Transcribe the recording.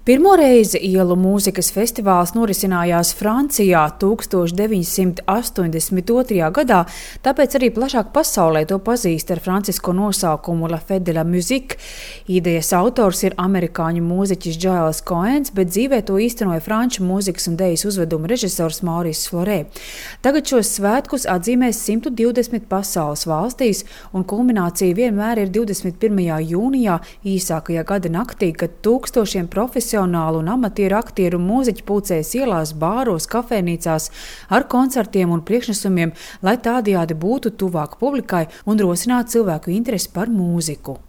Pirmo reizi ielu mūzikas festivāls norisinājās Francijā 1982. gadā, tāpēc arī plašāk pasaulē to pazīst ar francisko nosaukumu La Fête de la Musique. Idejas autors ir amerikāņu mūziķis Giles Coens, bet dzīvē to īstenoja franču mūzikas un dejas uzveduma režisors Maurice Floré. Tagad šos svētkus atzīmēs 120 pasaules valstīs, un kulminācija vienmēr ir 21. jūnijā, īsākajā gada naktī, kad tūkstošiem profesionālu un amatieru aktieru mūziķi pulcējas ielās, bāros, kafejnīcās ar koncertiem un priekšnesumiem, lai tādējādi būtu tuvāk publikai un rosinātu cilvēku interesi par mūziku.